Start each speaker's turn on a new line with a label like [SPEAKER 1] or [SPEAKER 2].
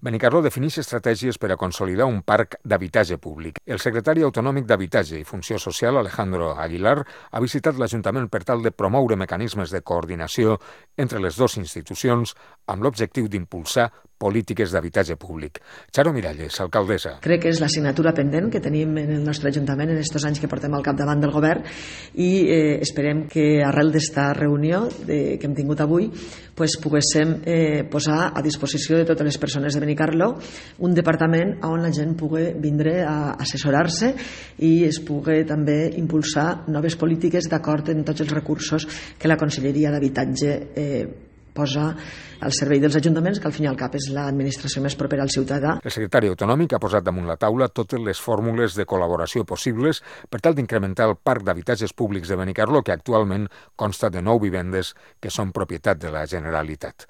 [SPEAKER 1] Benicarló defineix estratègies per a consolidar un parc d'habitatge públic. El secretari autonòmic d'Habitatge i Funció Social, Alejandro Aguilar, ha visitat l'Ajuntament per tal de promoure mecanismes de coordinació entre les dues institucions amb l'objectiu d'impulsar polítiques d'habitatge públic. Charo Miralles, alcaldessa.
[SPEAKER 2] Crec que és l'assignatura pendent que tenim en el nostre Ajuntament en aquests anys que portem al capdavant del govern i esperem que arrel d'esta reunió que hem tingut avui poguéssim posar a disposició de totes les persones de Benicarló un departament on la gent pugui vindre a assessorar-se i es pugui també impulsar noves polítiques d'acord amb tots els recursos que la Conselleria d'Habitatge posa al servei dels ajuntaments, que al fin i al cap és l'administració més propera al ciutadà.
[SPEAKER 1] El secretari autonòmic ha posat damunt la taula totes les fórmules de col·laboració possibles per tal d'incrementar el parc d'habitatges públics de Benicarló, que actualment consta de 9 vivendes que són propietat de la Generalitat.